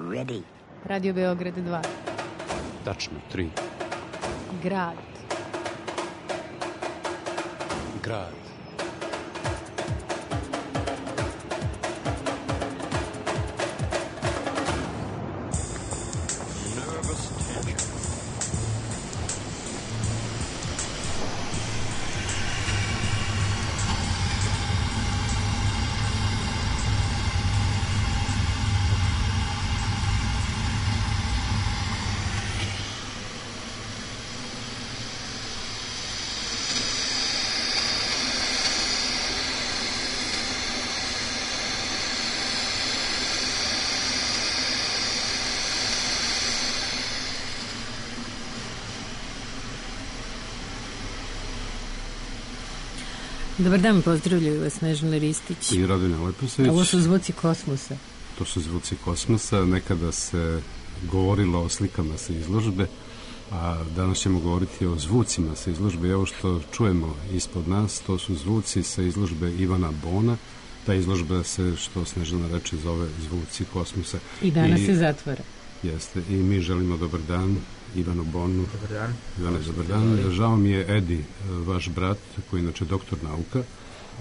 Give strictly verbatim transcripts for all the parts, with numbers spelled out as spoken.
ready. Radio Beograd dva. Tačno, tri. Grad. Grad. Dobar dan, pozdravljaju vas Snežana Ristić. I Radina Leposević. Ovo su zvuci kosmosa. To su zvuci kosmosa. Nekada se govorilo o slikama sa izložbe, a danas ćemo govoriti o zvucima sa izložbe. Evo što čujemo ispod nas, to su zvuci sa izložbe Ivana Bona. Ta izložba se, što Snežana reče, zove Zvuci kosmosa. I danas I, se zatvara. Jeste. I mi želimo dobar dan Ivanu Bonu. Dobar dan. Ivane, dobar dan. Žao mi je Edi, vaš brat, koji je inače doktor nauka,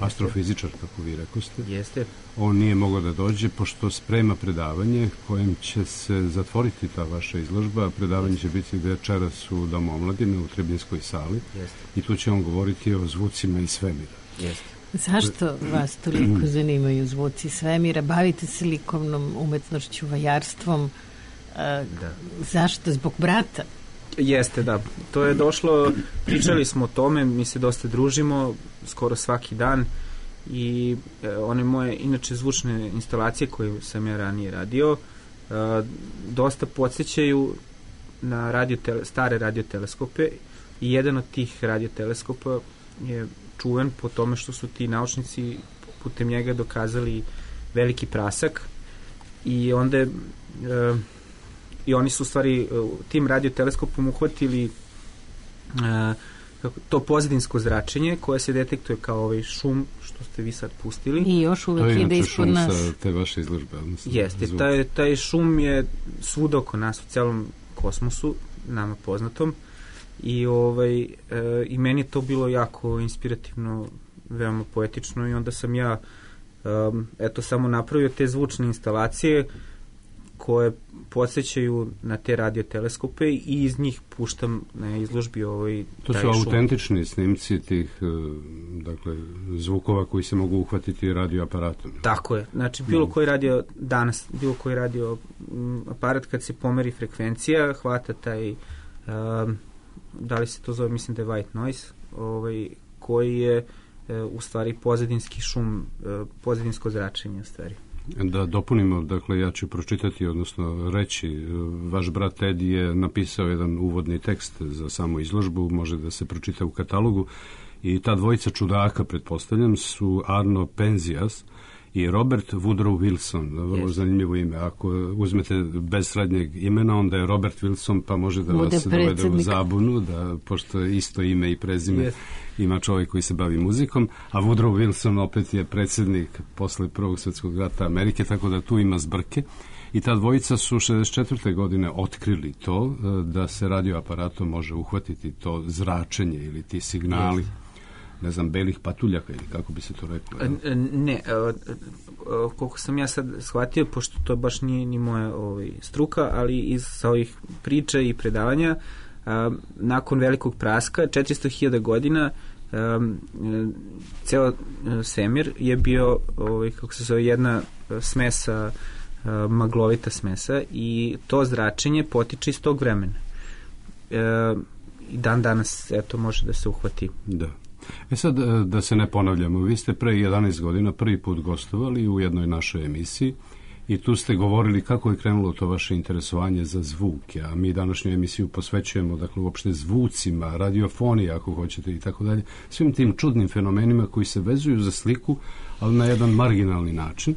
astrofizičar, kako vi rekoste. Jeste. On nije mogao da dođe, pošto sprema predavanje kojim će se zatvoriti ta vaša izložba. Predavanje će biti večeras u Domu omladine, u Trebinskoj sali. Jeste. I tu će on govoriti o zvucima iz svemira. Jeste. Zašto vas toliko zanimaju zvuci svemira? Bavite se likovnom umetnošću, vajarstvom. Da. Zašto? Zbog brata? Jeste, da. To je došlo, pričali smo o tome, mi se dosta družimo, skoro svaki dan i e, one moje, inače, zvučne instalacije koje sam ja ranije radio, e, dosta podsjećaju na radio tele, stare radioteleskope i jedan od tih radioteleskopa je čuven po tome što su ti naučnici putem njega dokazali veliki prasak i onda je e, i oni su u stvari tim radioteleskopom uhvatili uh, to pozadinsko zračenje koje se detektuje kao ovaj šum što ste vi sad pustili. I još uvek ide ispod nas. To je te vaše izložbe. Jeste, taj, taj šum je svuda oko nas u celom kosmosu, nama poznatom. I, ovaj, uh, i meni je to bilo jako inspirativno, veoma poetično i onda sam ja um, eto samo napravio te zvučne instalacije koje podsjećaju na te radioteleskope i iz njih puštam na izložbi ovaj to su autentični snimci tih dakle zvukova koji se mogu uhvatiti radioaparatom. Tako je. Znači bilo koji radio danas, bilo koji radio m, aparat kad se pomeri frekvencija, hvata taj um, da li se to zove, mislim da je white noise, ovaj koji je uh, u stvari pozadinski šum, uh, pozadinsko zračenje u stvari. Da dopunimo, dakle, ja ću pročitati, odnosno reći, vaš brat Edi je napisao jedan uvodni tekst za samu izložbu, može da se pročita u katalogu, i ta dvojica čudaka, pretpostavljam, su Arno Penzias i Robert Woodrow Wilson, vrlo yes. zanimljivo ime. Ako uzmete bez srednjeg imena, onda je Robert Wilson, pa može da Bude vas predsjednik. dovede u zabunu, da, pošto je isto ime i prezime, yes. ima čovjek koji se bavi muzikom, a Woodrow Wilson opet je predsjednik posle Prvog svjetskog rata Amerike, tako da tu ima zbrke. I ta dvojica su šezdeset četvrte godine otkrili to, da se radioaparatom može uhvatiti to zračenje ili ti signali. Yes. Ne znam, belih patuljaka ili kako bi se to reklo? Ne, koliko sam ja sad shvatio, pošto to baš nije ni moja ovaj, struka, ali iz sa ovih priča i predavanja, a, nakon velikog praska, četiristo hiljada godina, a, ceo svemir je bio, ovaj, kako se zove, jedna smesa, a, maglovita smesa, i to zračenje potiče iz tog vremena. A, i dan danas, eto, može da se uhvati. Da. E sad, da se ne ponavljamo, vi ste pre jedanaest godina prvi put gostovali u jednoj našoj emisiji i tu ste govorili kako je krenulo to vaše interesovanje za zvuke, a mi današnju emisiju posvećujemo, dakle, uopšte zvucima, radiofoniji, ako hoćete, i tako dalje, svim tim čudnim fenomenima koji se vezuju za sliku, ali na jedan marginalni način.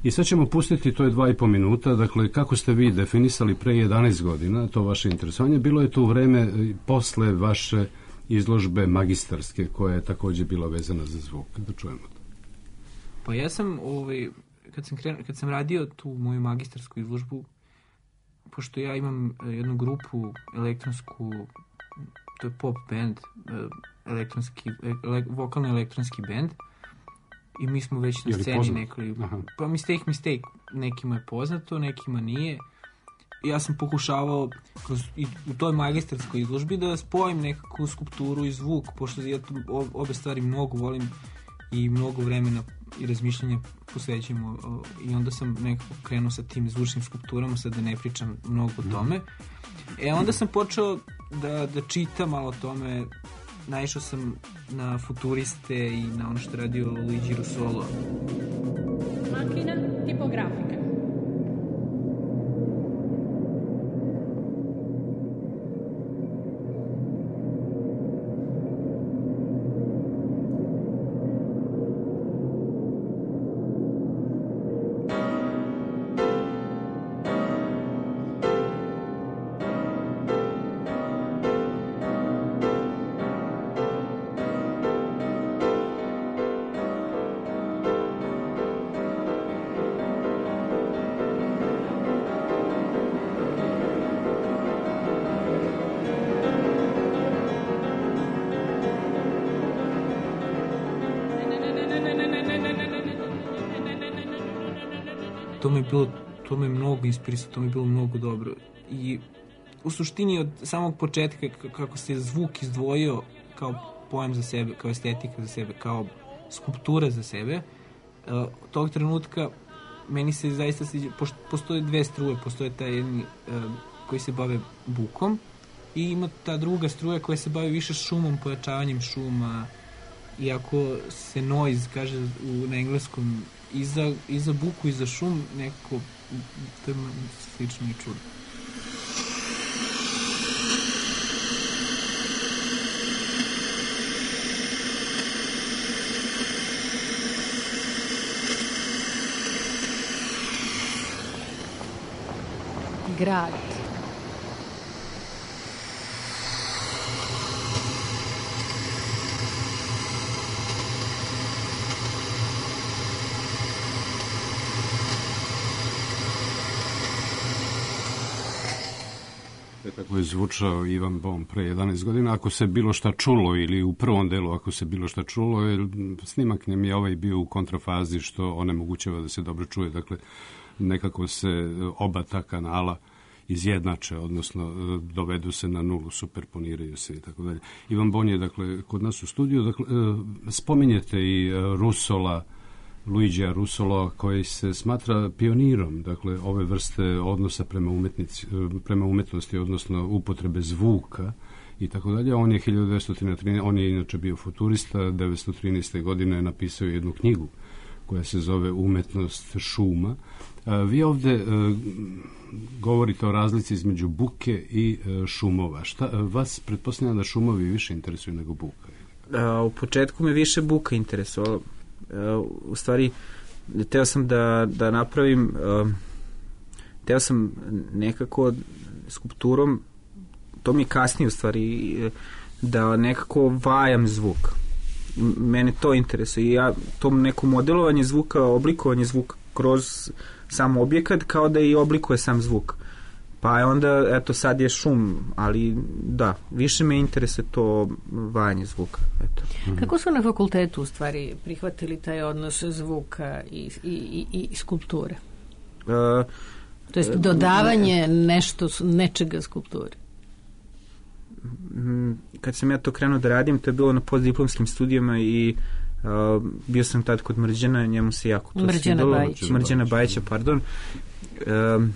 I sad ćemo pustiti, to je dva i po minuta, dakle, kako ste vi definisali pre jedanaest godina to vaše interesovanje, bilo je to u vreme posle vaše izložbe magistarske, koja je takođe bila vezana za zvuk. Da čujemo to. Pa ja sam, ovaj, kad sam, kren, kad sam radio tu moju magistarsku izložbu, pošto ja imam jednu grupu elektronsku, to je pop band, elektronski, ele, vokalno elektronski band, i mi smo već na sceni nekoli, pa Mistake Mistake, nekima je poznato, nekima nije. Ja sam pokušavao kroz, i u toj magistarskoj izložbi da spojim nekakvu skulpturu i zvuk, pošto ja tu obe stvari mnogo volim i mnogo vremena i razmišljanja posvećujemo, i onda sam nekako krenuo sa tim zvučnim skulpturama, sad da ne pričam mnogo o tome. E onda sam počeo da, da čitam malo o tome, naišao sam na futuriste i na ono što je radio Luigi Russolo. Macchina tipografika. To mi je bilo, to me mnogo inspirisalo, to mi je bilo mnogo dobro. I u suštini od samog početka kako se zvuk izdvojio kao pojam za sebe, kao estetika za sebe, kao skulptura za sebe, uh, tog trenutka meni se zaista sviđa, pošto postoje dve struje, postoje taj jedni uh, koji se bave bukom i ima ta druga struja koja se bavi više šumom, pojačavanjem šuma, iako se noise kaže u, na engleskom i za, i za buku i za šum nekako to je slično i čudno. Grad. Tako je zvučao Ivan Bon pre jedanaest godina. Ako se bilo šta čulo, ili u prvom delu ako se bilo šta čulo, jer snimak njem je ovaj bio u kontrafazi, što onemogućava da se dobro čuje. Dakle, nekako se oba ta kanala izjednače, odnosno dovedu se na nulu, superponiraju se i tako dalje. Ivan Bon je, dakle, kod nas u studiju. Dakle, spominjete i Russola, Luigija Russolo, koji se smatra pionirom, dakle, ove vrste odnosa prema, umetnici, prema umetnosti, odnosno upotrebe zvuka i tako dalje. On je hiljadu devetsto trinaeste. On je inače bio futurista, devetsto trinaeste. godine je napisao jednu knjigu koja se zove Umetnost šuma. A, vi ovde a, govorite o razlici između buke i a, šumova. Šta, a, vas pretpostavljam da šumovi više interesuju nego buka? A, u početku me više buka interesovala. Uh, u stvari teo sam da, da napravim uh, teo sam nekako skulpturom, to mi kasnije u stvari, da nekako vajam zvuk. Mene to interesuje i ja to neko modelovanje zvuka, oblikovanje zvuka kroz sam objekat kao da i oblikuje sam zvuk. Pa je onda, eto, sad je šum, ali da, više me interesuje to vajanje zvuka. Eto. Kako su na fakultetu u stvari prihvatili taj odnos zvuka i, i, i, i skulpture? Uh, to jest dodavanje nešto, nečega skulpturi. Kad sam ja to krenuo da radim, to je bilo na postdiplomskim studijama i uh, bio sam tad kod Mrđana, njemu se jako to Mrđana svidalo. Bajić. Mrđana Bajića, pardon. Um,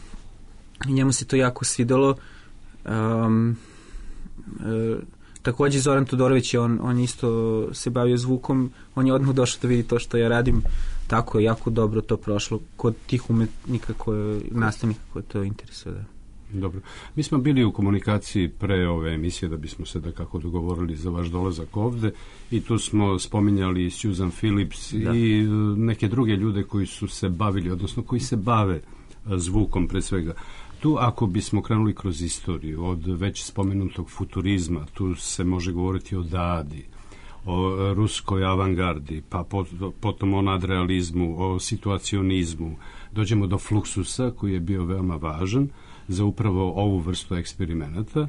i njemu se to jako svidalo. Um, e, takođe Zoran Todorović je, on, on isto se bavio zvukom, on je odmah došao da vidi to što ja radim, tako je jako dobro to prošlo kod tih umetnika koje, nastavnika koje to interesuje. Da. Dobro. Mi smo bili u komunikaciji pre ove emisije da bismo se da kako dogovorili za vaš dolazak ovde i tu smo spominjali Susan Phillips da. i neke druge ljude koji su se bavili, odnosno koji se bave zvukom pre svega. Tu ako bismo krenuli kroz istoriju od već spomenutog futurizma, tu se može govoriti o Dadi, o ruskoj avangardi, pa potom o nadrealizmu, o situacionizmu. Dođemo do Fluxusa koji je bio veoma važan. za upravo ovu vrstu eksperimenata,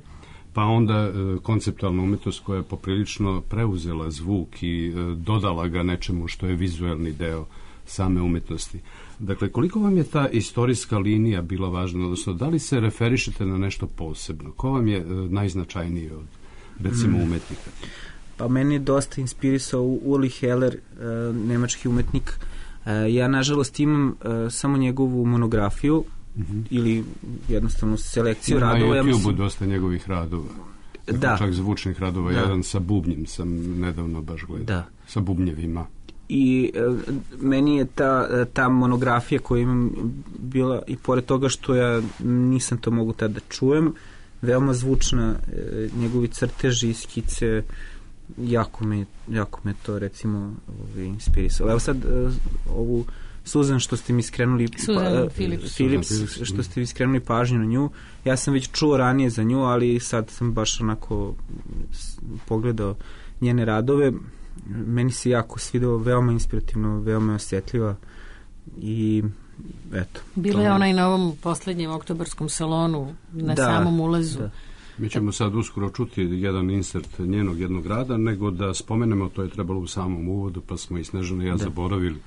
pa onda e, konceptualna umetnost koja je poprilično preuzela zvuk i e, dodala ga nečemu što je vizuelni deo same umetnosti. Dakle, koliko vam je ta istorijska linija bila važna, odnosno da li se referišete na nešto posebno? Ko vam je e, najznačajniji od, recimo, umetnika? Pa meni je dosta inspirisao Uli Heller, e, nemački umetnik. E, ja, nažalost, imam e, samo njegovu monografiju, mm-hmm. ili jednostavno selekciju ja, radova. Na YouTube-u ja dosta njegovih radova. Dakle, da. Čak zvučnih radova. Da. Jedan sa bubnjem sam nedavno baš gledao. Da. Sa bubnjevima. I e, meni je ta, ta monografija koju imam bila, i pored toga što ja nisam to mogu tada da čujem, veoma zvučna, e, njegovi crteži i skice, jako me, jako me to recimo ovaj, inspirisalo. Evo sad e, ovu Suzan što ste mi skrenuli Suzan pa, Philips. Philips što ste mi skrenuli pažnju na nju, ja sam već čuo ranije za nju, ali sad sam baš onako pogledao njene radove. Meni se jako svidelo, veoma inspirativno, veoma osjetljiva i eto. Bila je ona i na ovom poslednjem oktobarskom salonu na da, samom ulazu. Da. Mi ćemo sad uskoro čuti jedan insert njenog jednog rada, nego da spomenemo, to je trebalo u samom uvodu, pa smo i Snežana i ja da. zaboravili.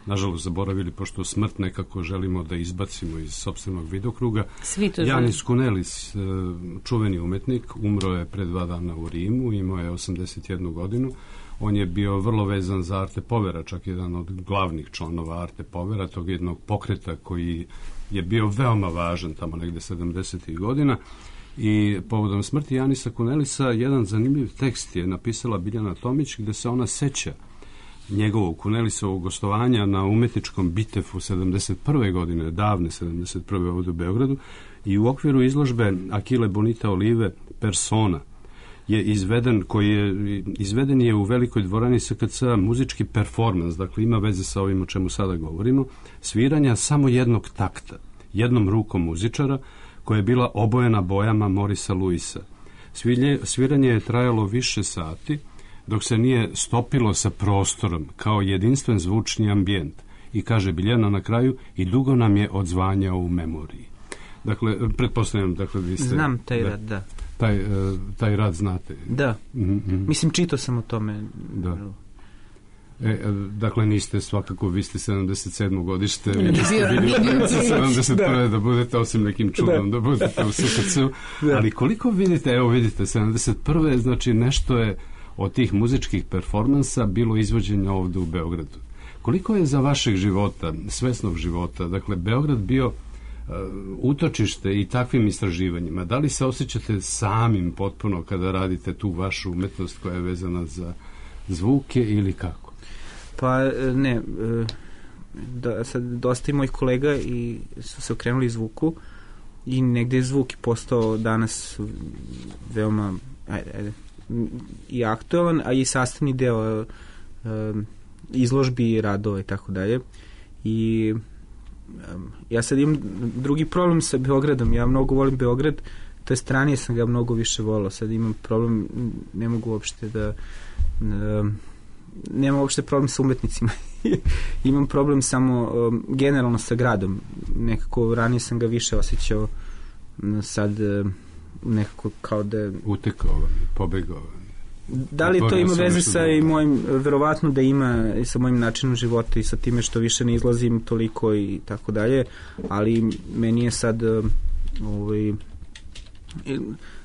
Nažalost zaboravili, pošto smrt nekako želimo da izbacimo iz sopstvenog vidokruga. Janis Kunelis, čuveni umetnik, umro je pre dva dana u Rimu, imao je osamdeset jednu godinu. On je bio vrlo vezan za Arte Povera, čak jedan od glavnih članova Arte Povera, tog jednog pokreta koji je bio veoma važan tamo negde sedamdesetih godina. I povodom smrti Janisa Kunelisa jedan zanimljiv tekst je napisala Biljana Tomić, gde se ona seća njegovog Kunelisovog gostovanja na umetničkom Bitefu sedamdeset prve godine, davne sedamdeset prve ovdje u Beogradu, i u okviru izložbe Akile Bonita Olive Persona je izveden, koji je izveden je u velikoj dvorani S K C muzički performans, dakle ima veze sa ovim o čemu sada govorimo, sviranja samo jednog takta, jednom rukom muzičara, koja je bila obojena bojama Morisa Luisa. Svilje, sviranje je trajalo više sati, dok se nije stopilo sa prostorom kao jedinstven zvučni ambijent. I kaže Biljana na kraju, i dugo nam je odzvanjao u memoriji. Dakle, pretpostavljam, dakle, vi ste... Znam taj da, rad, da. Taj, taj rad znate. Da. Mm-hmm. Mislim, čitao sam o tome. Da. E, dakle, niste svakako, vi ste sedamdeset sedmo godište, vi niste bili u sedamdeset prve da. da budete, osim nekim čudom, da, da budete u S K C-u. Da. Ali koliko vidite, evo vidite, sedamdeset prve znači nešto je od tih muzičkih performansa bilo izvođenja ovdje u Beogradu. Koliko je za vašeg života, svesnog života, dakle, Beograd bio uh, utočište i takvim istraživanjima? Da li se osjećate samim potpuno kada radite tu vašu umetnost koja je vezana za zvuke ili kako? Pa ne, da, sad dosta i mojih kolega i su se okrenuli zvuku i negde je zvuk postao danas veoma ajde, ajde, i aktualan, a i sastavni deo um, izložbi, radova i tako dalje. I um, ja sad imam drugi problem sa Beogradom. Ja mnogo volim Beograd, to je ranije sam ga mnogo više volao. Sad imam problem, ne mogu uopšte da um, nemam uopšte problem sa umetnicima. Imam problem samo um, generalno sa gradom. Nekako ranije sam ga više osjećao, sad um, nekako kao da... Utekao vam, pobegao vam. Da li to ima veze sa i mojim, verovatno da ima i sa mojim načinom života i sa time što više ne izlazim toliko i tako dalje, ali meni je sad ovaj,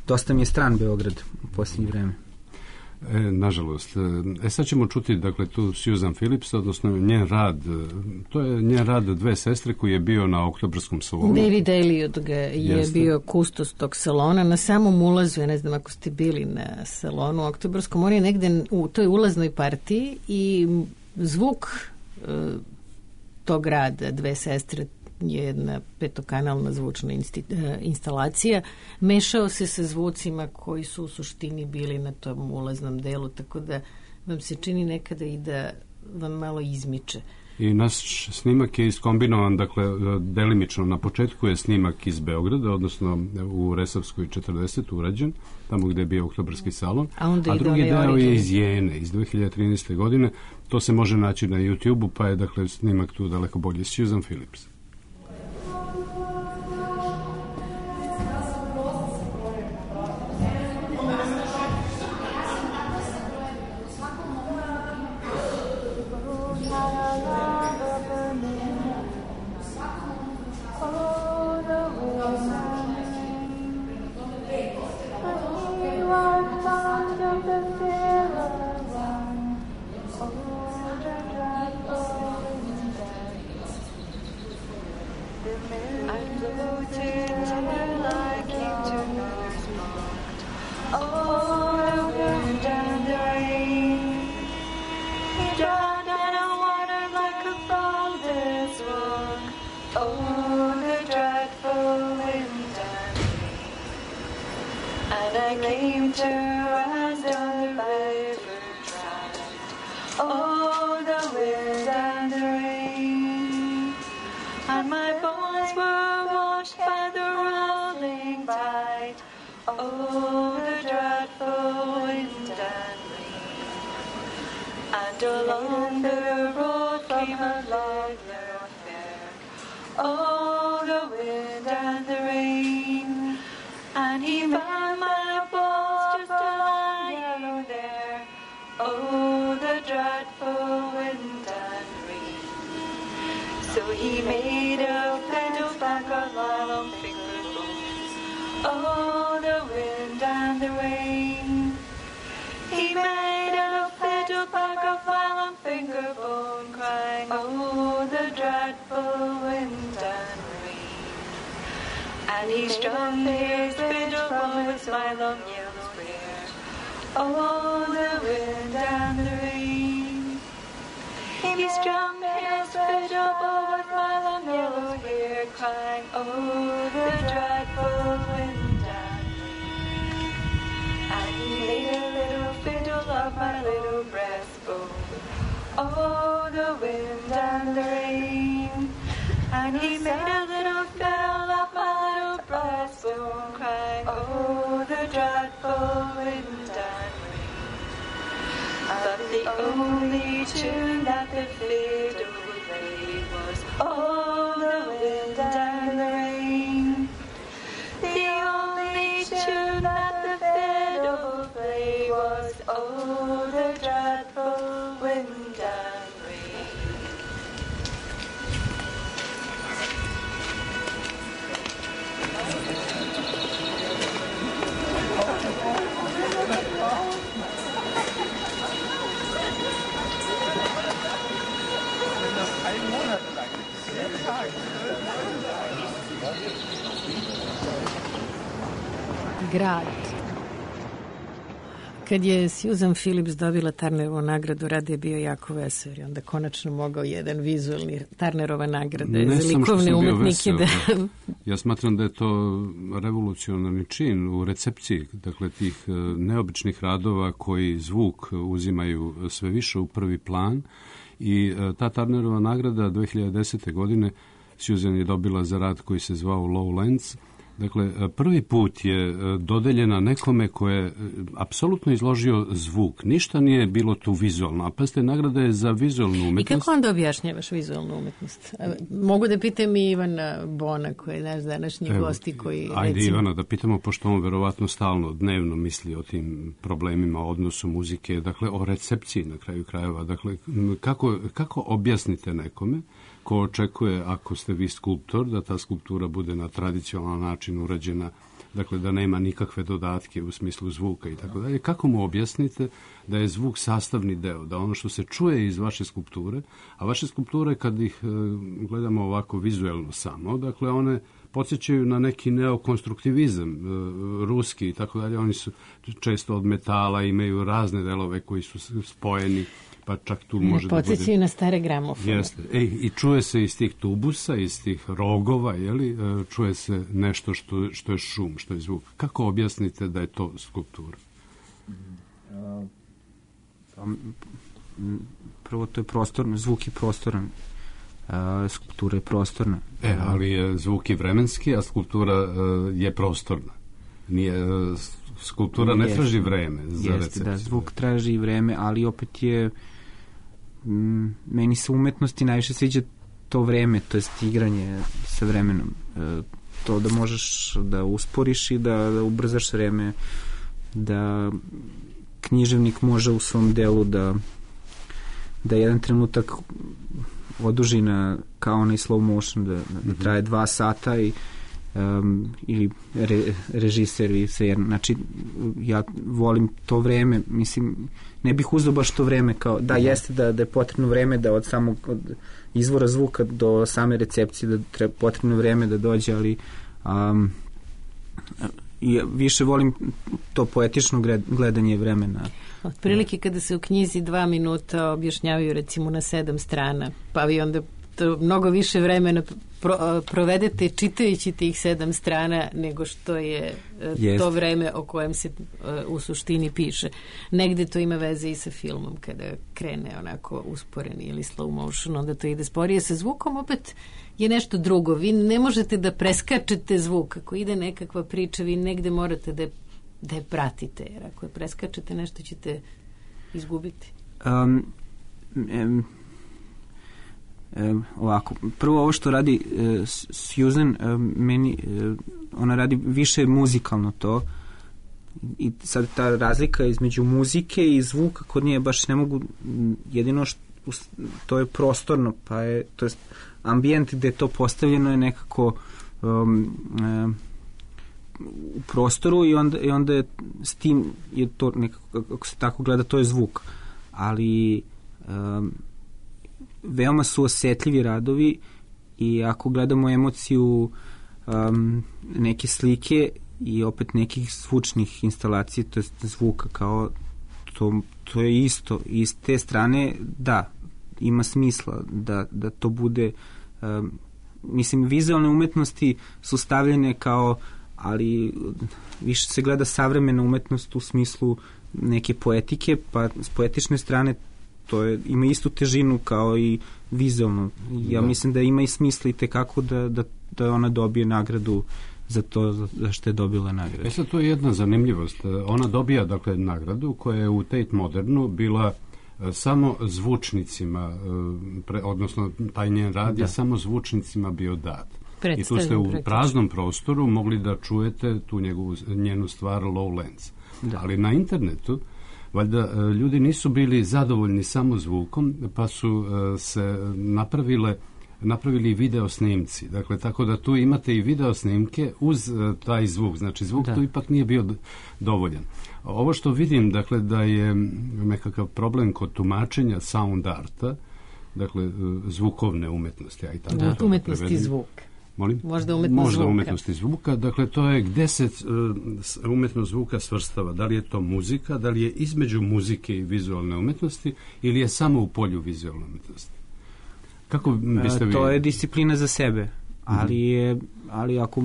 dosta mi je stran Beograd u posljednje vreme. E, nažalost. E sad ćemo čuti, dakle, tu Suzan Philips, odnosno njen rad, to je njen rad Dve sestre koji je bio na oktobarskom salonu. David Elliot ga je Jeste. bio kustos tog salona. Na samom ulazu, ja ne znam ako ste bili na salonu oktobarskom, on je negde u toj ulaznoj partiji i zvuk e, tog rada Dve sestre je jedna petokanalna zvučna insti, e, instalacija, mešao se sa zvucima koji su u suštini bili na tom ulaznom delu, tako da vam se čini nekada i da vam malo izmiče. I naš snimak je iskombinovan, dakle, delimično. Na početku je snimak iz Beograda, odnosno u Resavskoj četrdeset urađen, tamo gde je bio oktobarski salon, a, a drugi deo je iz Jene, iz dve hiljade trinaeste. godine. To se može naći na YouTube-u, pa je, dakle, snimak tu daleko bolji. Suzan Philips. I came to rest on the river dry. Oh, the wind and the rain, and my bones were washed by the rolling tide. Oh, the dreadful wind and rain, and along the road came a lovely affair. Oh, the wind and the rain, and he found my bones just lying there. Oh, the dreadful wind and rain. So he made a fiddle back of long finger bones. Oh, the wind and the rain. He made a fiddle back of long finger bone, crying, oh, the dreadful wind and rain. And he strummed his fiddle from his my long yellow hair. Oh, the wind and the rain. He strummed his fiddle with my long yellow hair, crying, oh, the dreadful wind and rain. And he made a little fiddle of my little breastbone. Oh, the wind and the rain. And he made a little fiddle of my little breastbone, crying, oh, the dreadful wind and rain. But the only tune that the fiddle would play was, oh, the wind and the rain. The only tune that the fiddle would play was, oh, the dreadful wind and rain. Grad. Kad je Susan Phillips dobila Turnerovu nagradu, Rad je bio jako vesel, i onda konačno mogao jedan vizualni Turnerova nagrada ne za likovne umetnike da... Ja smatram da je to revolucionarni čin u recepciji, dakle tih neobičnih radova koji zvuk uzimaju sve više u prvi plan, i ta Turnerova nagrada dve hiljade desete. godine Susan je dobila za rad koji se zvao Lowlands. Dakle, prvi put je dodeljena nekome ko je apsolutno izložio zvuk. Ništa nije bilo tu vizualno. A pazite, nagrada je za vizualnu umetnost. I kako onda objašnjavaš vizualnu umetnost? Mogu da pitam i Ivana Bona, koji je naš današnji Evo, gosti koji... Ajde recimo... Ivana, da pitamo, pošto on verovatno stalno, dnevno misli o tim problemima, o odnosu muzike, dakle, o recepciji na kraju krajeva. Dakle, kako, kako objasnite nekome ko očekuje, ako ste vi skulptor, da ta skulptura bude na tradicionalan način urađena, dakle da nema nikakve dodatke u smislu zvuka i tako dalje. Kako mu objasnite da je zvuk sastavni deo, da ono što se čuje iz vaše skulpture, a vaše skulpture kad ih e, gledamo ovako vizuelno samo, dakle one podsjećaju na neki neokonstruktivizam, e, ruski i tako dalje, oni su često od metala, imaju razne delove koji su spojeni, pa čak tu može da bude... Podsjećaju na stare gramofone. Jeste. Ej, i čuje se iz tih tubusa, iz tih rogova, jeli, čuje se nešto što, što je šum, što je zvuk. Kako objasnite da je to skulptura? Prvo, to je prostorno, zvuk je prostoran, skulptura je prostorna. E, ali je zvuk je vremenski, a skulptura je prostorna. Nije... Skulptura ne traži vreme za jeste, recepciju. Da, zvuk traži vreme, ali opet je m, meni se umetnosti najviše sviđa to vreme, to je igranje sa vremenom. E, to da možeš da usporiš i da, da ubrzaš vreme, da književnik može u svom delu da da jedan trenutak oduži na kao onaj slow motion, da, da traje dva sata i Um, ili re, režiser i sve, znači ja volim to vreme, mislim ne bih uzeo baš to vreme kao, da jeste da, da je potrebno vreme da od samog od izvora zvuka do same recepcije da treba potrebno vreme da dođe, ali um, ja više volim to poetično gledanje vremena. Otprilike kada se u knjizi dva minuta objašnjavaju recimo na sedam strana, pa vi onda što mnogo više vremena pro, provedete čitajući tih sedam strana nego što je Jest. to vreme o kojem se u suštini piše. Negde to ima veze i sa filmom, kada krene onako usporeni ili slow motion, onda to ide sporije. Sa zvukom opet je nešto drugo. Vi ne možete da preskačete zvuk. Ako ide nekakva priča, vi negde morate da je, da je pratite, jer ako je preskačete, nešto ćete izgubiti. Um, um, um, ovako, prvo ovo što radi uh, Susan, um, meni, uh, ona radi više muzikalno to, i sad ta razlika između muzike i zvuka kod nje baš ne mogu, jedino što to je prostorno, pa je, to je ambijent gde je to postavljeno je nekako um, um, u prostoru i onda, i onda je s tim je to nekako, ako se tako gleda, to je zvuk, ali um, veoma su osetljivi radovi i ako gledamo emociju um, neke slike i opet nekih zvučnih instalacija, to je zvuka kao to, to je isto i s te strane da, ima smisla da, da to bude um, mislim, vizualne umetnosti su stavljene kao, ali više se gleda savremena umetnost u smislu neke poetike, pa s poetične strane to je, ima istu težinu kao i vizualno. Ja da. mislim da ima i smisla i tekako da, da, da ona dobije nagradu za to za što je dobila nagradu. E sad, to je jedna zanimljivost. Ona dobija, dakle, nagradu koja je u Tate Modernu bila samo zvučnicima, pre, odnosno taj njen rad je samo zvučnicima bio dat. I tu ste u praktično. praznom prostoru mogli da čujete tu njegovu, njenu stvar Lowlands. Da. Ali na internetu valjda ljudi nisu bili zadovoljni samo zvukom, pa su se napravile napravili video snimci. Dakle, tako da tu imate i video snimke uz uh, taj zvuk. Znači, zvuk da. tu ipak nije bio d- dovoljan. Ovo što vidim, dakle, da je nekakav problem kod tumačenja sound arta, dakle, uh, zvukovne umetnosti. Ja i tako da, umetnosti prevedim. zvuk. Molim? Možda umetnost Možda zvuka. umetnosti zvuka. Dakle, to je gde se uh, umetnost zvuka svrstava. Da li je to muzika, da li je između muzike i vizualne umetnosti ili je samo u polju vizualne umetnosti? Kako biste vi... To je disciplina za sebe, ali je, ali ako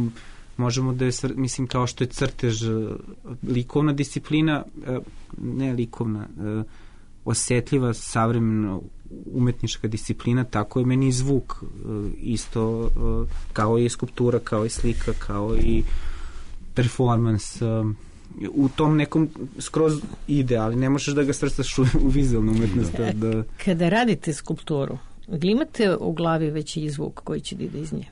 možemo da je, mislim, kao što je crtež likovna disciplina, ne likovna, osetljiva, savremena umetnička disciplina, tako je meni i zvuk isto, kao i skulptura, kao i slika, kao i performans. U tom nekom skroz ide, ali ne možeš da ga svrstaš u, u vizualnu umetnost. Da, da... Kada radite skulpturu, ili imate u glavi već i zvuk koji će da ide iz nje?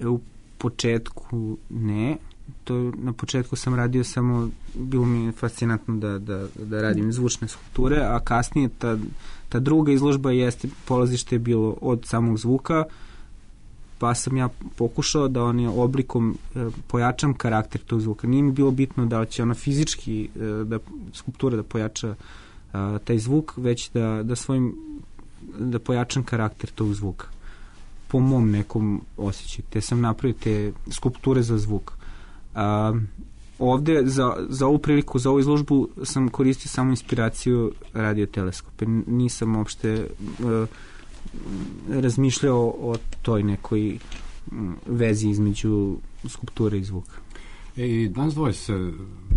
U početku ne. To, na početku sam radio samo, bilo mi je fascinantno da, da, da radim zvučne skulpture, a kasnije ta, ta druga izložba jeste, polazište je bilo od samog zvuka, pa sam ja pokušao da on je oblikom e, pojačam karakter tog zvuka. Nije mi bilo bitno da će ona fizički, e, da skulptura da pojača a, taj zvuk, već da, da svojim da pojačam karakter tog zvuka po mom nekom osjećaju. Te sam napravio te skulpture za zvuk. A, ovde za, za ovu priliku, za ovu izložbu sam koristio samo inspiraciju radioteleskope. Nisam uopšte a, razmišljao o toj nekoj vezi između skulpture i zvuka. E, i nas dvoje se,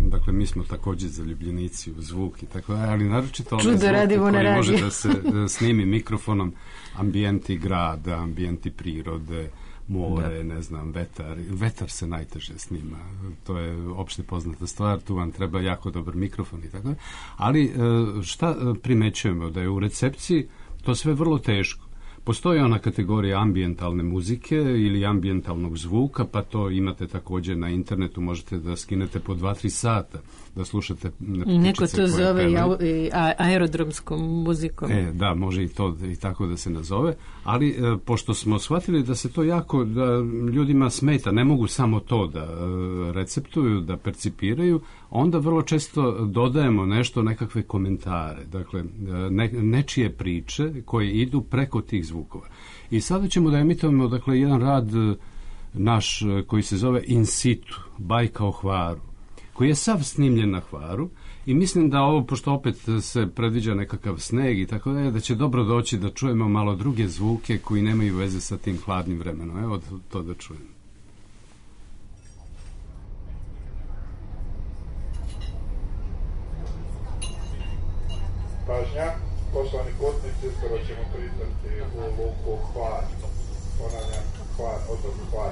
dakle, mi smo također zaljubljenici u zvuk i tako, ali naročito ovaj zvuk koji može da se da snimi mikrofonom, ambijenti grada, ambijenti prirode, more, da. ne znam, vetar. Vetar se najteže snima. To je opšte poznata stvar, tu vam treba jako dobar mikrofon i tako. Ali šta primećujemo? Da je u recepciji to sve vrlo teško. Postoji ona kategorija ambijentalne muzike ili ambijentalnog zvuka, pa to imate također na internetu, možete da skinete po dva, tri sata, da slušate ptičice. Neko to zove i a, aerodromskom muzikom. E, da, može i to i tako da se nazove, ali e, pošto smo shvatili da se to jako, da ljudima smeta, ne mogu samo to da e, receptuju, da percipiraju, onda vrlo često dodajemo nešto, nekakve komentare, dakle, ne, nečije priče koje idu preko tih zvukova. I sada ćemo da emitujemo, dakle, jedan rad naš koji se zove In situ, Bajka o Hvaru, koji je sav snimljen na Hvaru i mislim da ovo, pošto opet se predviđa nekakav sneg i tako da, da će dobro doći da čujemo malo druge zvuke koji nemaju veze sa tim hladnim vremenom. Evo to da čujemo. Pažnja, poštovani putnici, uskoro ćemo pristati u luku Hvar. Ponavljam, Hvar, otok Hvar.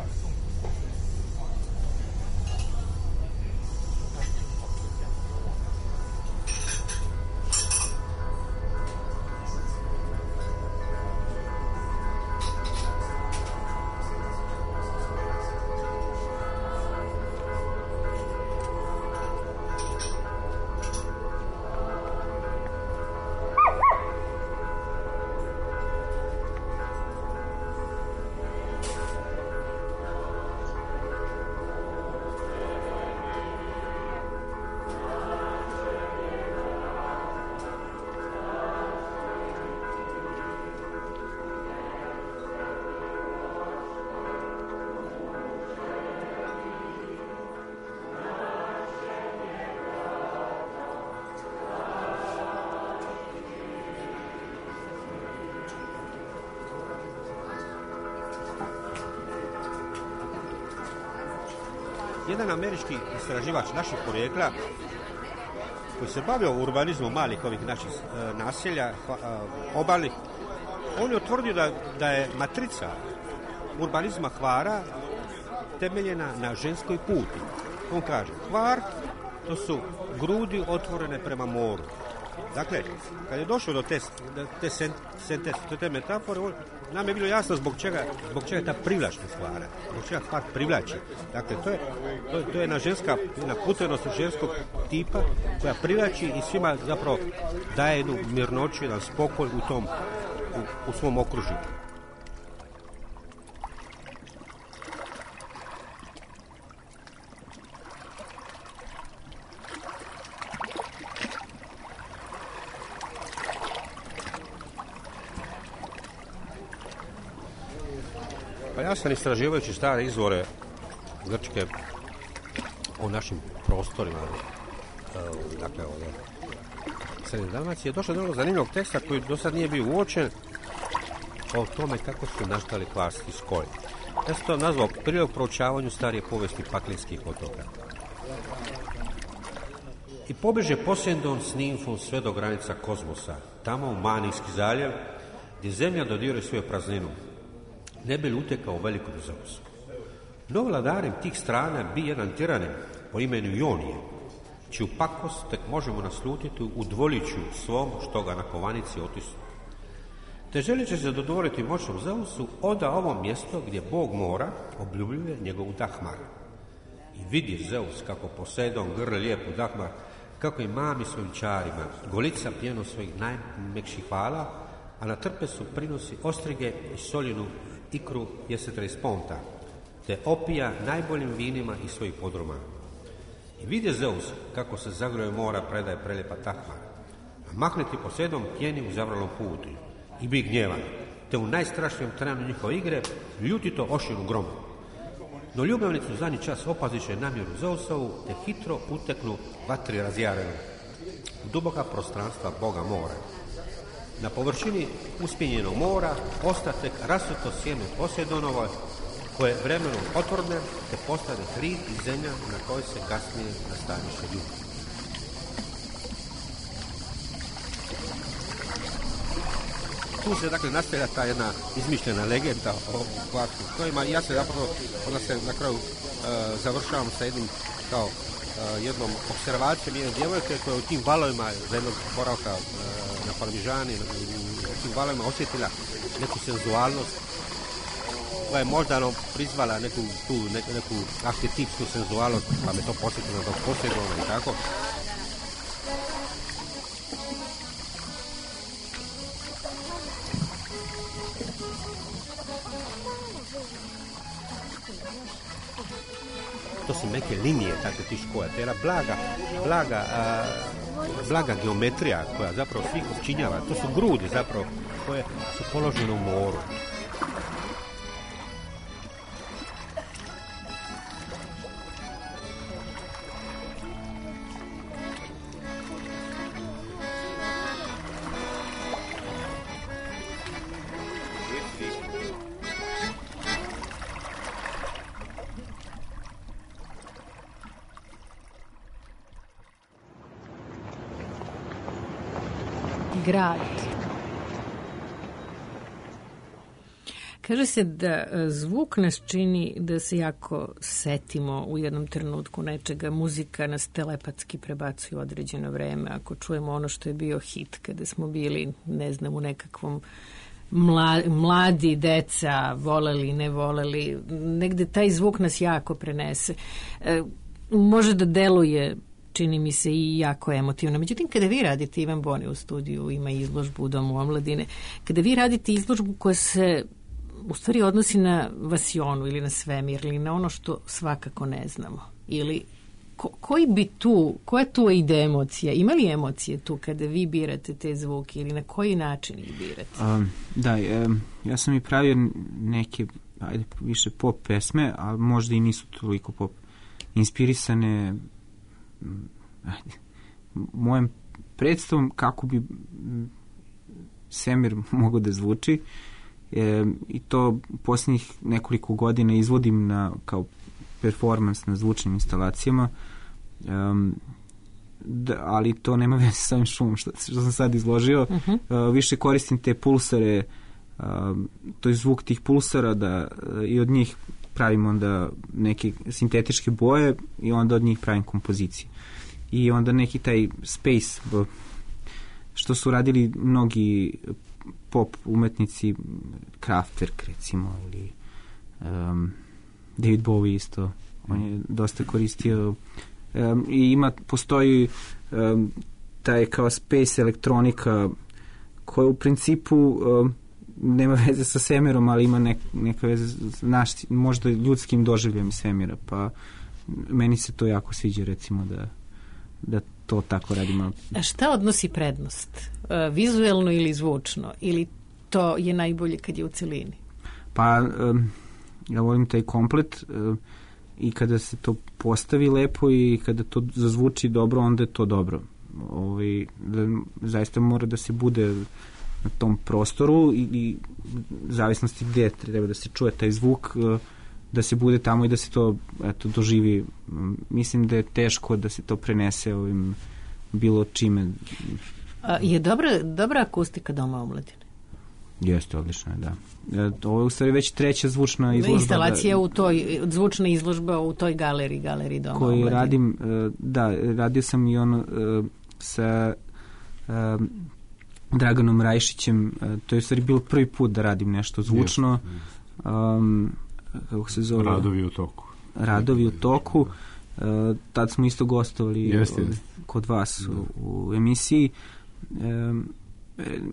Jedan američki istraživač naših porijekla koji se bavio urbanizmom malih ovih naših e, naselja, hva, e, obalnih, on je utvrdio da, da je matrica urbanizma Hvara temeljena na ženskoj puti. On kaže, Hvar, to su grudi otvorene prema moru. Dakle, kad je došlo do te, te, te, te, te metafore, nam je bilo jasno zbog čega, zbog čega je ta privlačnost Hvara, zbog čega Hvar privlači. Dakle, to je, to, to je jedna ženska, jedna putenost ženskog tipa koja privlači i svima zapravo daje jednu mirnoću, jedan spokoj u tom, u, u svom okružju. Pa ja sam istraživajući stare izvore Grčke o našim prostorima, dakle ovdje Srednje Dalmacije, došlo do jednog zanimljivog teksta koji do sad nije bio uočen o tome kako su nastali hvarski skoji. Ja sam to nazvao prilog proučavanju starije povijesti paklinskih otoka. I pobeže Poseidon s nimfom sve do granica kozmosa, tamo u Manijski zaljev, gdje zemlja dodiruje svoju prazninu, ne bi li utekao velikom Zeusu. No vladarem tih strana bi jedan tiranin po imenu Ionije, čiju pakost tek možemo naslutiti u dvoliću svom što ga na kovanici otisnu. Te želeći se dodvoriti moćnom Zeusu, oda ovo mjesto gdje Bog mora obljubljuje njegovu Dahmar. I vidi Zeus kako Poseidon grli lijepu Dahmar, kako i mami svojim čarima, golica pjeno svojih najmekših vala, a na trpesu prinosi ostrige i soljenu ikru jesetra iz ponta, te opija najboljim vinima iz svojih podruma. I vidi Zeus kako se zagroje mora predaje prelijepa Dahmar, a mahneti Poseidon pjeni u zavralom putu i bi gnjevan, te u najstrašnijem trenu njihove igre ljutito ošinu gromu. No ljubavnicu zadnji čas opaziše namjeru Zeusovu, te hitro uteknu vatri razjarenu u duboka prostranstva Boga mora. Na površini uspjenjenog mora ostatek rasuto sjeme Poseidonovo, koje vremenom otvorne, te postane hrid i zemlja na kojoj se kasnije nastaniše ljudi. Tu se dakle nastavlja ta jedna izmišljena legenda o hvarskim skojima i ja se zapravo, onda se na kraju e, završavam sa jednim kao e, jednom observacijom jedne djevojke koja u tim valovima za jednog boravka e, na Parmižani, u tim valovima osjetila neku senzualnost koja je možda no, prizvala neku, tu, neku, neku arhetipsku senzualnost, pa me to posjetilo do Poseidona i tako. To su neke linije, tako ti škoja, to je jedna blaga, blaga, a, blaga geometrija koja zapravo svih učinjava. To su grudi zapravo koje su položene u moru. grad. Kaže se da zvuk nas čini da se jako setimo u jednom trenutku nečega. Muzika nas telepatski prebacuje u određeno vreme. Ako čujemo ono što je bio hit kada smo bili, ne znam, u nekakvom mla, mladi, deca, voleli, ne voleli, negde taj zvuk nas jako prenese. E, može da deluje, čini mi se, i jako emotivno. Međutim, kada vi radite, Ivan Boni u studiju ima izložbu u Domu omladine, kada vi radite izložbu koja se u stvari odnosi na vasionu ili na svemir ili na ono što svakako ne znamo, ili ko, koji bi tu, koja tu ide emocija? Ima li emocije tu kada vi birate te zvuke ili na koji način ih birate? Um, da, um, ja sam i pravio neke, ajde, više pop pesme, a možda i nisu toliko pop inspirisane ajde, mojem predstavom kako bi svemir mogao da zvuči. E, i to posljednjih nekoliko godina izvodim na, kao performans na zvučnim instalacijama, um, da, ali to nema veze sa ovim šumom što, što sam sad izložio. Uh-huh. Uh, više koristim te pulsare, uh, to je zvuk tih pulsara da, uh, i od njih pravim onda neke sintetičke boje i onda od njih pravim kompozicije. I onda neki taj space, što su radili mnogi pop umetnici, Kraftwerk recimo, ili um, David Bowie isto, on je dosta koristio um, i ima, postoji um, taj kao space elektronika koja u principu um, nema veze sa svemirom, ali ima nek, neka veze s naš, možda ljudskim doživljem svemira, pa meni se to jako sviđa recimo da, da to tako radimo. A šta odnosi prednost? Vizuelno ili zvučno? Ili to je najbolje kad je u celini? Pa, um, ja volim taj komplet um, i kada se to postavi lepo i kada to zazvuči dobro, onda je to dobro. Ovaj, da, zaista mora da se bude na tom prostoru i, i zavisnosti gdje treba da se čuje taj zvuk, uh, da se bude tamo i da se to eto, doživi. Mislim da je teško da se to prenese ovim bilo čime. A, je dobra, dobra akustika Doma omladine? Jeste, odlično je, da. E, ovo je u stvari već treća zvučna izložba. Instalacija da, u toj, zvučna izložba u toj galeriji, galeriji Doma koju omladine. Radim, da, radio sam i ono sa um, Draganom Rajšićem, to je u stvari bilo prvi put da radim nešto zvučno. Um, kako se zove? Radovi u toku. Radovi u toku. Uh, tad smo isto gostovali jeste, od, jeste. kod vas u, u emisiji. Um,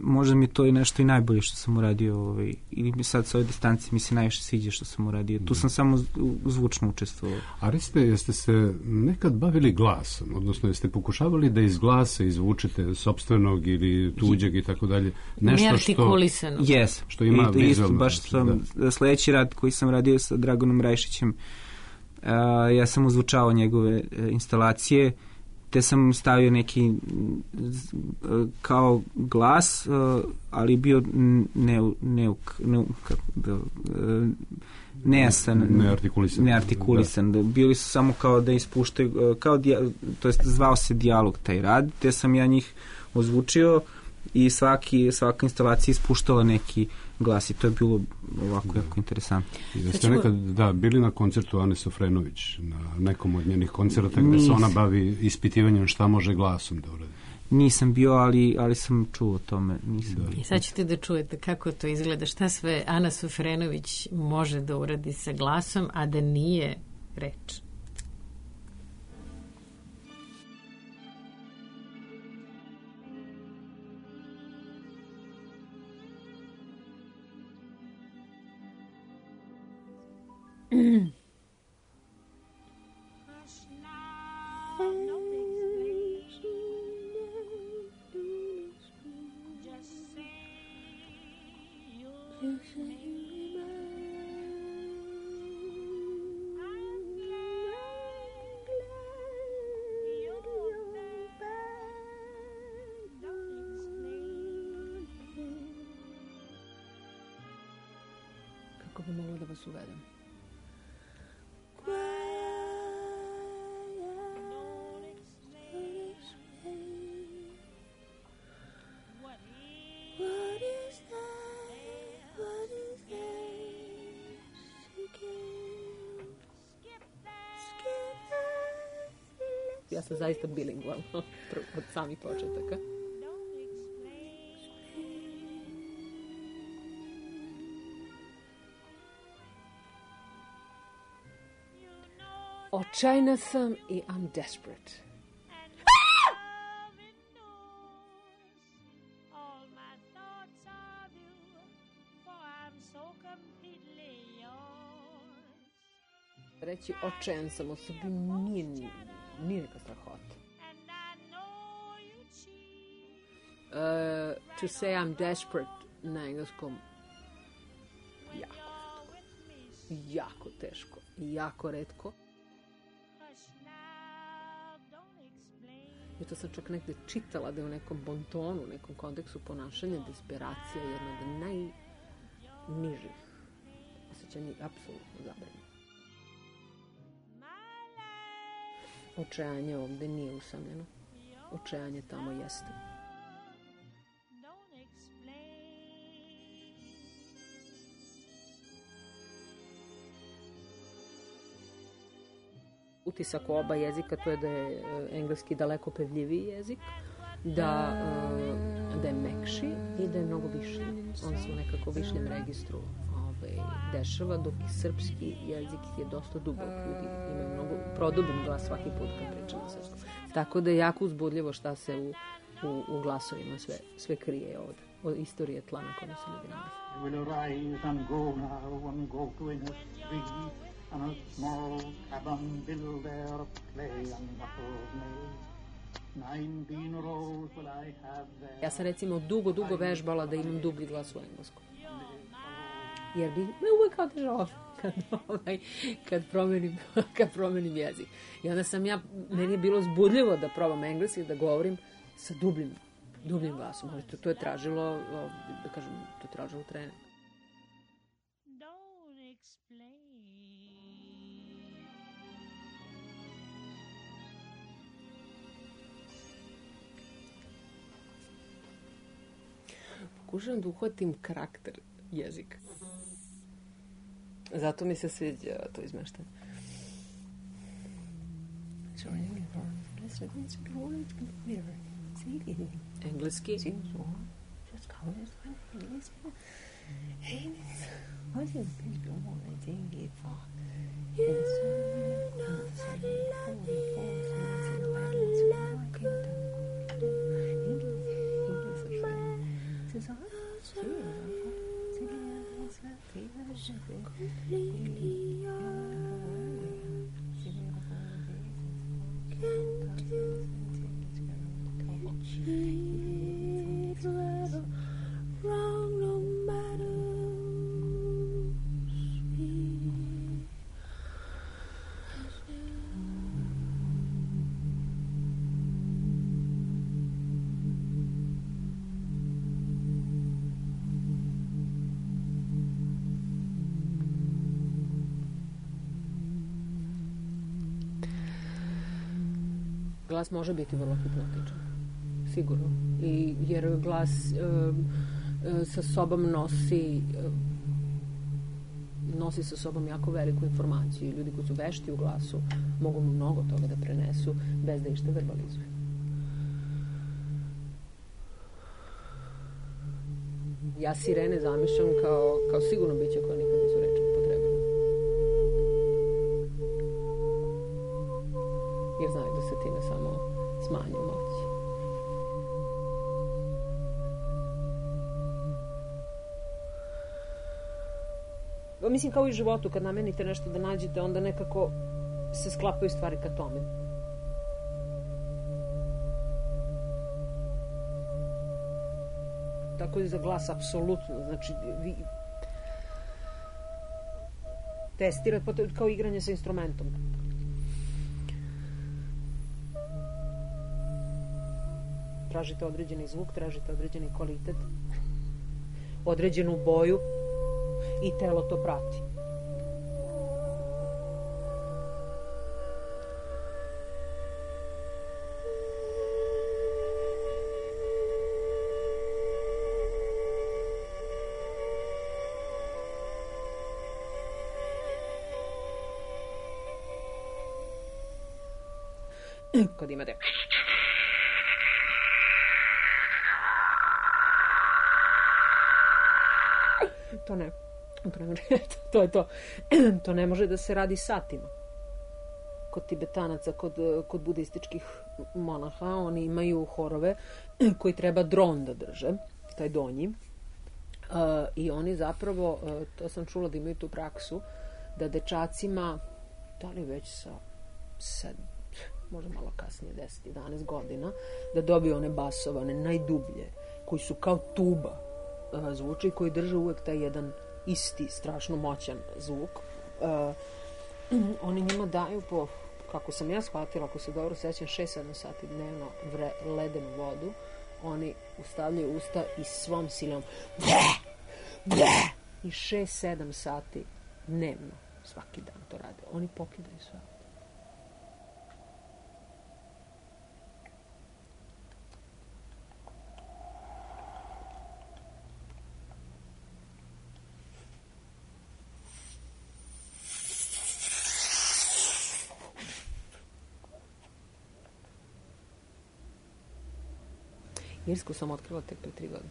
možda mi je to i nešto i najbolje što sam uradio, ovaj, ili mi sad sa ove distancije mi se najviše sviđa što sam uradio. Tu sam samo zvučno učestvovao. A recite, jeste se nekad bavili glasom, odnosno jeste pokušavali da iz glasa izvučete sopstvenog ili tuđeg i tako dalje, nešto što, yes. što ima I, vizualno. Baš sam, da. Sledeći rad koji sam radio sa Draganom Rajšićem, uh, ja sam ozvučavao njegove uh, instalacije, te sam stavio neki uh, kao glas, uh, ali bio neuk, neuk, neuk, uh, nejasan, neartikulisan. neartikulisan. Da. Bili su samo kao da ispuštaju, uh, kao dia, to jest zvao se dijalog taj rad, te sam ja njih ozvučio i svaki, svaka instalacija ispuštala neki glas i to je bilo ovako da. Jako interesantno. Da ste nekad da, bili na koncertu Ane Sofrenović, na nekom od njenih koncerta gde se ona bavi ispitivanjem šta može glasom da uradi? Nisam bio, ali, ali sam čuo o tome. Nisam da. I sad ćete da čujete kako to izgleda, šta sve Ana Sofrenović može da uradi sa glasom, a da nije reč. Mm. Kako bi mogla da vas uvedem? engleskom. Ja sam zaista bilingvalna od samih početaka. Očajna sam i I'm desperate. Reći očajan sam o sebi nije, nije neka strahota. Uh, to say I'm desperate na engleskom jako teško. Jako teško i jako retko. I to sam čak negde čitala da je u nekom bontonu, u nekom kontekstu ponašanja desperacija jedna od najnižih osjećanja i apsolutno zabranjena. Očajanje ovde nije usamljeno. Očajanje tamo jeste. Utisak u oba jezika to je da je engleski daleko pevljiviji jezik, da, da je mekši i da je mnogo višnji. On se u nekako višnjem registru ovaj, dešava, dok i srpski jezik je dosta dubok. Ljudi imaju mnogo produbim glas svaki put kad pričam na srpskom. Tako da je jako uzbudljivo šta se u, u, u glasovima sve, sve krije od, od istorije tla na kome se ljudi nalazi. Will arise and go now and go to in a street and a small cabin build there play and muffled maid. Nineteen rows will I have there. Ja sam recimo dugo, dugo vežbala da imam dublji glas u engleskom. Jer bi me uvek otežao kad, ovaj, kad, promenim, kad promenim jezik. I onda sam ja, meni je bilo zbudljivo da probam engleski, da govorim sa dubljim, dubljim glasom. Ali to, to je tražilo, da kažem, to je tražilo trening. Pokušavam da uhvatim karakter jezika. Zato mi se sviđa to izmeštanje. Engleski. Glas može biti vrlo hipnotičan, sigurno. I, jer glas e, e, sa sobom nosi e, nosi sa sobom jako veliku informaciju. Ljudi koji su vešti u glasu mogu mnogo toga da prenesu bez da išta verbalizuju. Ja sirene zamišljam kao, kao sigurno biće koje nikad nisu reči upotrebili. Jer znaju da se time samo smanju moći. Mislim, kao i u životu, kad namenite nešto da nađete, onda nekako se sklapaju stvari ka tome. Tako i za glas, apsolutno. Znači, vi testirate kao igranje sa instrumentom. Tražite određeni zvuk, tražite određeni kvalitet, određenu boju i telo to prati. kad imate to ne to je to to ne može da se radi satima kod Tibetanaca, kod, kod budističkih monaha. Oni imaju horove koji treba dron da drže, taj donji, uh, i oni zapravo, uh, to sam čula da imaju tu praksu, da dečacima, da li već sa sedam, možda malo kasnije, deset jedanaest godina, da dobiju one basove, one najdublje, koji su kao tuba uh, zvuče i koji drže uvek taj jedan isti, strašno moćan zvuk. Uh, oni njima daju po, kako sam ja shvatila, ako se dobro sećam, šest sedam sati dnevno vre, ledenu vodu. Oni ustavljaju usta i svom silom i šest sedam sati dnevno svaki dan to rade. Oni pokidaju sve. Irsku sam otkrila tek pre tri godine.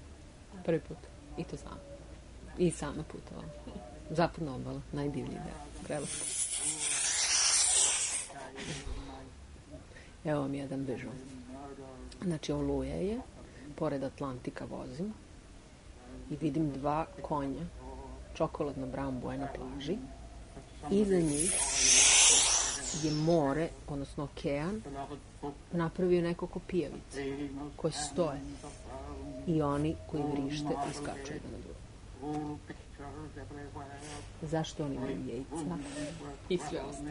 Prvi put. I to znam. I sama putovala. Zapadna obala. Najdivniji deo. Prelepo. Evo vam jedan vižon. Znači, Oluja je. Pored Atlantika vozim. I vidim dva konja. Čokoladna brown boja na plaži. Iza njih je more, odnosno okean, napravio nekoliko pijavice koje stoje i oni koji vrište i skaču jedan na drugo. Zašto oni imaju jejca i sve ostalo?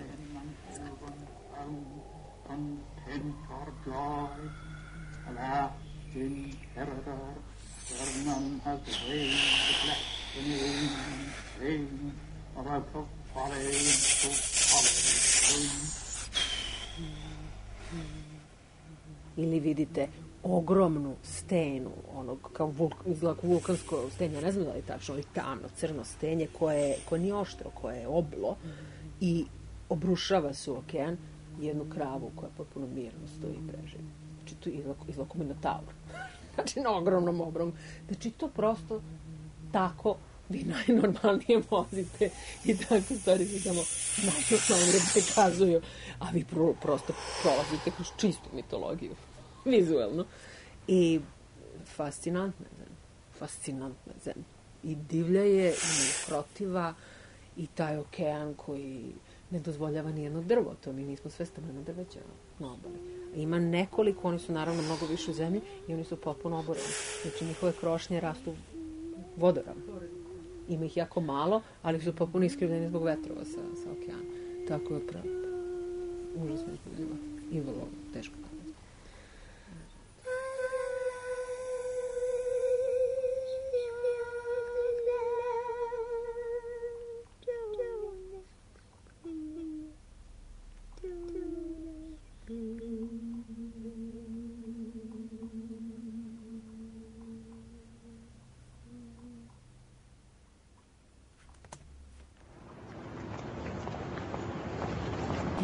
Ili vidite ogromnu stenu, onog kao vulk, izgleda vulkansko stenje, ja ne znam da li tačno, ali tamno, crno stenje koje, koje nije oštro, koje je oblo i obrušava se u okean jednu kravu koja potpuno mirno stoji i preživi. Znači to izlako minotaur. Znači na ogromnom obromu. Znači to prosto tako vi najnormalnije vozite i tako stvari vi tamo najnormalnije prikazuju, a vi pro, prosto prolazite kroz čistu mitologiju, vizualno. I fascinantna je zemlja, fascinantna je zemlja. I divlja je, i nekrotiva, i taj okean koji ne dozvoljava nijedno drvo, to mi nismo sve stameno drveća na obali. Ima nekoliko, oni su naravno mnogo više u zemlji i oni su potpuno oboreni. Znači njihove krošnje rastu vodoram. Ima ih jako malo, ali su potpuno iskrivljeni zbog vetrova sa, sa okeana. Tako je pravo. Užasno izbudljivo. I vrlo teško.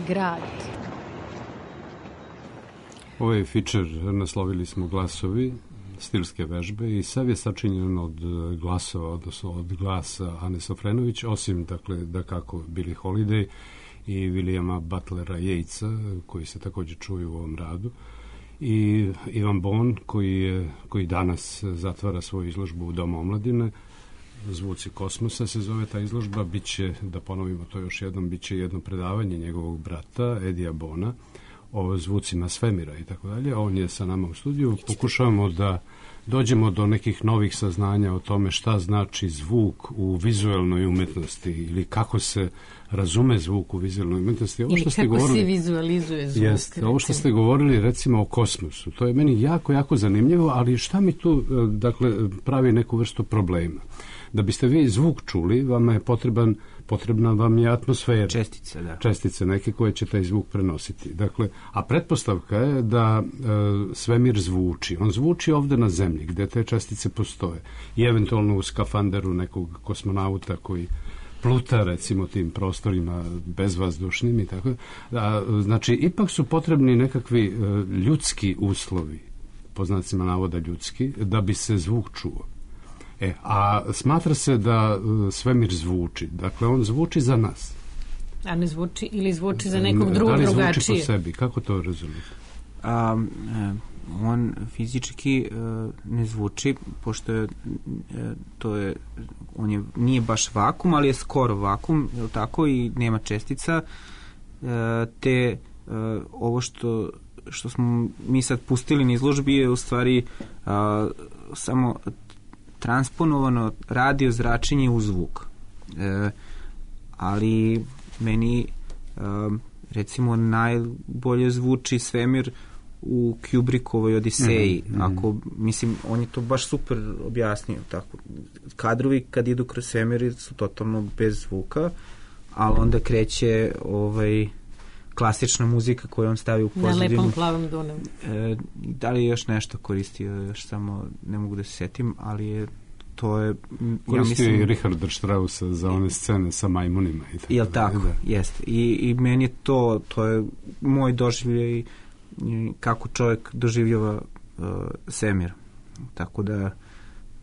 Grad. Ovaj fičer naslovili smo Glasovi, stilske vežbe, i sav je sačinjen od glasova, odnosno od glasa Ane Sofrenović, osim, dakle, da kako Billie Holiday i Williama Butlera Yeatsa, koji se također čuju u ovom radu, i Ivan Bon, koji, je, koji danas zatvara svoju izložbu u Domu omladine. Zvuci kosmosa se zove ta izložba. Biće, da ponovimo to još jednom, biće jedno predavanje njegovog brata Edija Bona o zvucima svemira i tako dalje. On je sa nama u studiju. Pokušavamo da dođemo do nekih novih saznanja o tome šta znači zvuk u vizuelnoj umetnosti ili kako se razume zvuk u vizuelnoj umetnosti. Ovo što ili kako govorili, se vizualizuje zvuk. Jest, ovo što ste govorili recimo o kosmosu, to je meni jako, jako zanimljivo, ali šta mi tu, dakle, pravi neku vrstu problema? Da biste vi zvuk čuli, vama je potreban, potrebna vam je atmosfera. Čestice, da. Čestice neke koje će taj zvuk prenositi. Dakle, a pretpostavka je da e, svemir zvuči. On zvuči ovde na zemlji, gde te čestice postoje. I eventualno u skafanderu nekog kosmonauta koji pluta recimo tim prostorima bezvazdušnim i tako. A, znači, ipak su potrebni nekakvi uh, ljudski uslovi, po znacima navoda ljudski, da bi se zvuk čuo. E, a smatra se da uh, svemir zvuči. Dakle, on zvuči za nas. A ne zvuči ili zvuči za nekog drugog drugačije? Da li drugačije? zvuči po sebi? Kako to razumijete? A, on fizički uh, ne zvuči, pošto je, uh, to je, on je, nije baš vakum, ali je skoro vakum, je li tako, i nema čestica, uh, te uh, ovo što, što smo mi sad pustili na izložbi je u stvari uh, samo transponovano radio zračenje u zvuk. Uh, ali meni uh, recimo najbolje zvuči svemir u Kubrickovoj Odiseji. Mm-hmm. Ako, mislim, on je to baš super objasnio. Tako. Kadrovi kad idu kroz svemir su totalno bez zvuka, ali onda kreće ovaj, klasična muzika koju on stavi u pozadinu. Na lepom plavom Dunavu. E, da li je još nešto koristio, još samo ne mogu da se setim, ali je to je... Koristio ja mislim, i Richarda Straussa za one scene sa majmunima. I tako. Jel tako? Da. Jeste. I, I meni je to, to je moj doživljaj kako čovjek doživljava uh, svemir. Tako da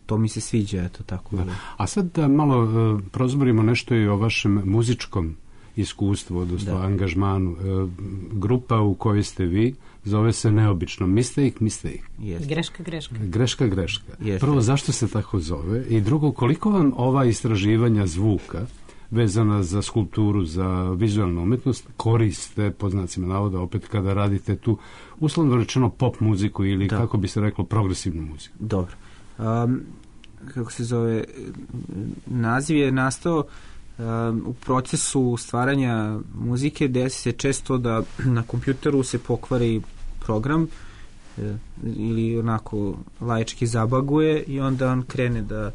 to mi se sviđa, eto tako. Da. A sad da malo uh, prozborimo nešto i o vašem muzičkom iskustvu, odnosno angažmanu. Uh, grupa u kojoj ste vi zove se neobično Mistake, Mistake. Jest. Greška, greška. Greška, greška. Jeste. Prvo, zašto se tako zove? I drugo, koliko vam ova istraživanja zvuka vezana za skulpturu, za vizualnu umetnost koriste, po znacima navoda, opet kada radite tu, uslovno rečeno, pop muziku ili, da, kako bi se reklo, progresivnu muziku? Dobro. Um, kako se zove, naziv je nastao um, u procesu stvaranja muzike, desi se često da na kompjuteru se pokvari program e, ili onako laički zabaguje i onda on krene da,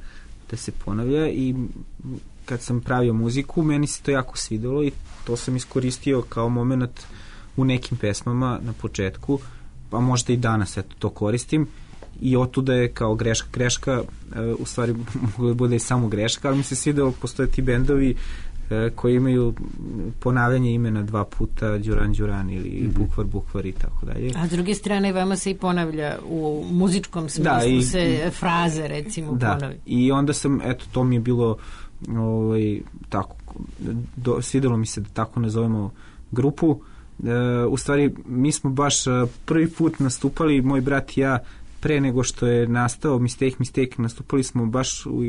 da se ponavlja i kad sam pravio muziku, meni se to jako svidelo i to sam iskoristio kao moment u nekim pesmama na početku, pa možda i danas eto, to koristim i otuda je kao greška, greška, e, u stvari moglo da bude i samo greška, ali mi se svidelo, postoje ti bendovi e, koji imaju ponavljanje imena dva puta, Đuran, Đuran ili mm-hmm. Bukvar, Bukvar i tako dalje. A s druge strane, vama se i ponavlja u muzičkom smislu, da, i, se fraze recimo da, ponavlja. I onda sam, eto, to mi je bilo ovaj, tako, do, svidelo mi se da tako nazovemo grupu. E, u stvari, mi smo baš prvi put nastupali, moj brat i ja, pre nego što je nastao Mistake, Mistake, nastupali smo baš u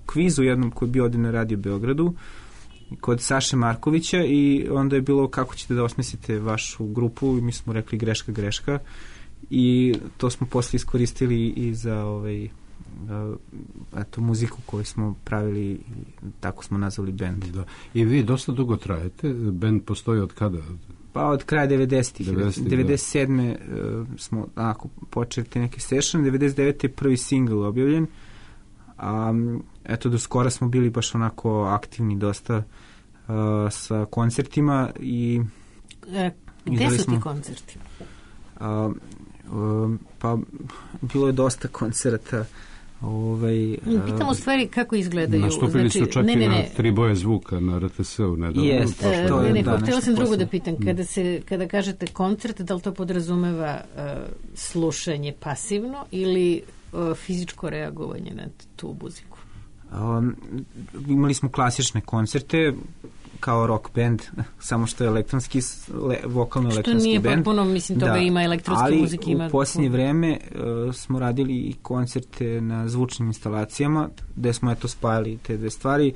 kvizu jednom koji je bio ovdje na Radio Beogradu, kod Saše Markovića i onda je bilo kako ćete da osmislite vašu grupu i mi smo rekli greška, greška i to smo posle iskoristili i za ovaj, eto, muziku koju smo pravili i tako smo nazvali band. Da. I vi dosta dugo trajete, band postoji od kada? Pa od kraja devedesetih. devedeset sedme uh, smo onako, počeli te neke session, devedeset devete je prvi single objavljen, a eto do skora smo bili baš onako aktivni dosta uh, sa koncertima i e, gde su smo, ti koncerti? Uh, uh, pa bilo je dosta koncerata. Ovaj, pitam u stvari kako izgledaju. Nastupili znači, su čak ne, ne, ne. i na Tri boje zvuka na R T S-u. Jest, e, to je, ne, da, htjela sam drugo da pitam. Kada, se, kada kažete koncert, da li to podrazumeva uh, slušanje pasivno ili uh, fizičko reagovanje na tu muziku? Um, imali smo klasične koncerte kao rock band, samo što je elektronski, le, vokalno-elektronski band. Što nije potpuno, mislim, toga da, ima elektronske muzike. Ali u posljednje vreme uh, smo radili i koncerte na zvučnim instalacijama, gde smo eto spajali te dve stvari,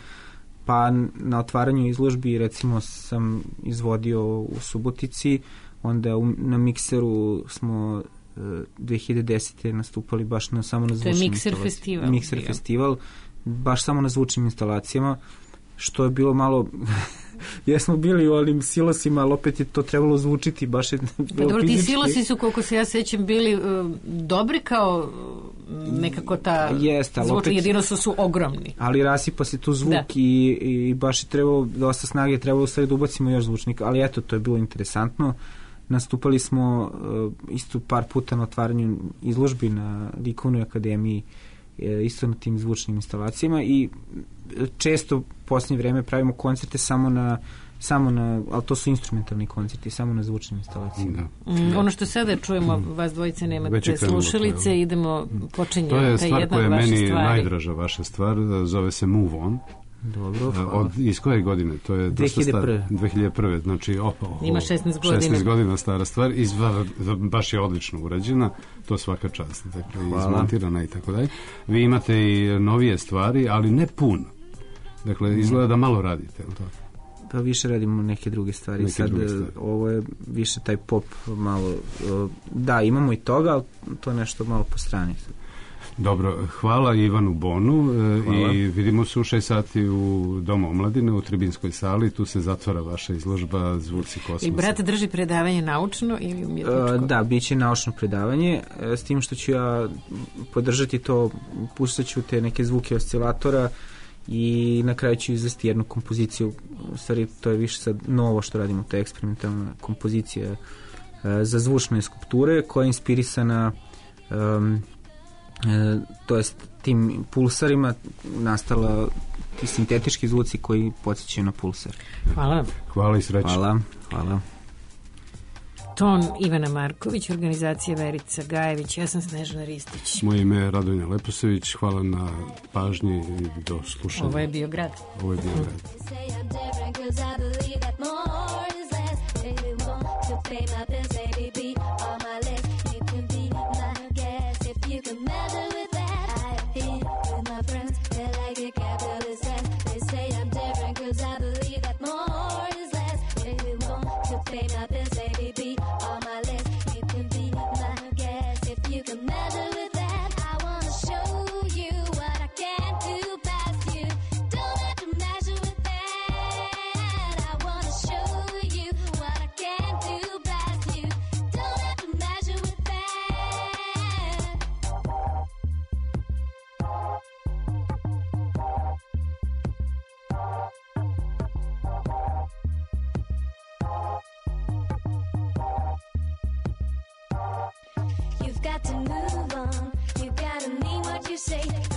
pa na otvaranju izložbi recimo sam izvodio u Subotici, onda u, na mikseru smo uh, dve hiljade desete nastupali baš na, samo na zvučnim instalacijama. To je mikser festival. Mikser ja. festival, baš samo na zvučnim instalacijama, što je bilo malo jesmo bili u onim silosima, ali opet je to trebalo zvučiti baš je pa dobro, ti silosi su, koliko se ja sećam, bili uh, dobri kao nekako ta zvučna jedinost su, su ogromni. Ali rasipa se tu zvuk da. i, i baš je trebalo dosta snage, trebalo sve da ubacimo još zvučnika, ali eto, to je bilo interesantno. Nastupali smo uh, isto par puta na otvaranju izložbi na Likovnoj akademiji isto na tim zvučnim instalacijama i često u posljednje vreme pravimo koncerte samo na samo na, ali to su instrumentalni koncerti, samo na zvučnim instalacijama. Da. Mm, ono što sada čujemo, mm. vas dvojice nemate slušalice, to, idemo, počinje to je stvar koja je meni stvari. najdraža vaša stvar, zove se Move On. Dobro, od, iz koje godine? To je dve hiljade prve. dve hiljade prve, znači o, o, ima šesnaest godina. šesnaest godina stara stvar, izva, baš je odlično urađena, to svaka čast, dakle, izmontirana i tako dalje. Vi imate i novije stvari, ali ne puno. Dakle, izgleda da malo radite, je li tako? Pa više radimo neke druge stvari. Neke Sad druge stvari. Ovo je više taj pop malo, da, imamo i toga, ali to je nešto malo po strani. Dobro, hvala Ivanu Bonu hvala. I vidimo se u šest sati u Domu omladine u Tribinskoj sali, tu se zatvara vaša izložba Zvuci kosmosa. I brat drži predavanje naučno ili umjetničko? Da, bit će naučno predavanje, s tim što ću ja podržati to, pustat ću te neke zvuke oscilatora i na kraju ću izvesti jednu kompoziciju, u stvari to je više sad novo što radimo, to je eksperimentalna kompozicija uh, za zvučne skulpture koja je inspirisana um, uh, to jest tim pulsarima nastala ti sintetički zvuci koji podsjećaju na pulsar. Hvala. Hvala i sreće. Hvala, hvala. Ton Ivana Marković, organizacija Verica Gajević, ja sam Snežana Ristić. Moje ime je Radonja Leposević, hvala na pažnji i do slušanja. Ovo je bio grad. Ovo je bio grad. Got to move on, you gotta mean what you say.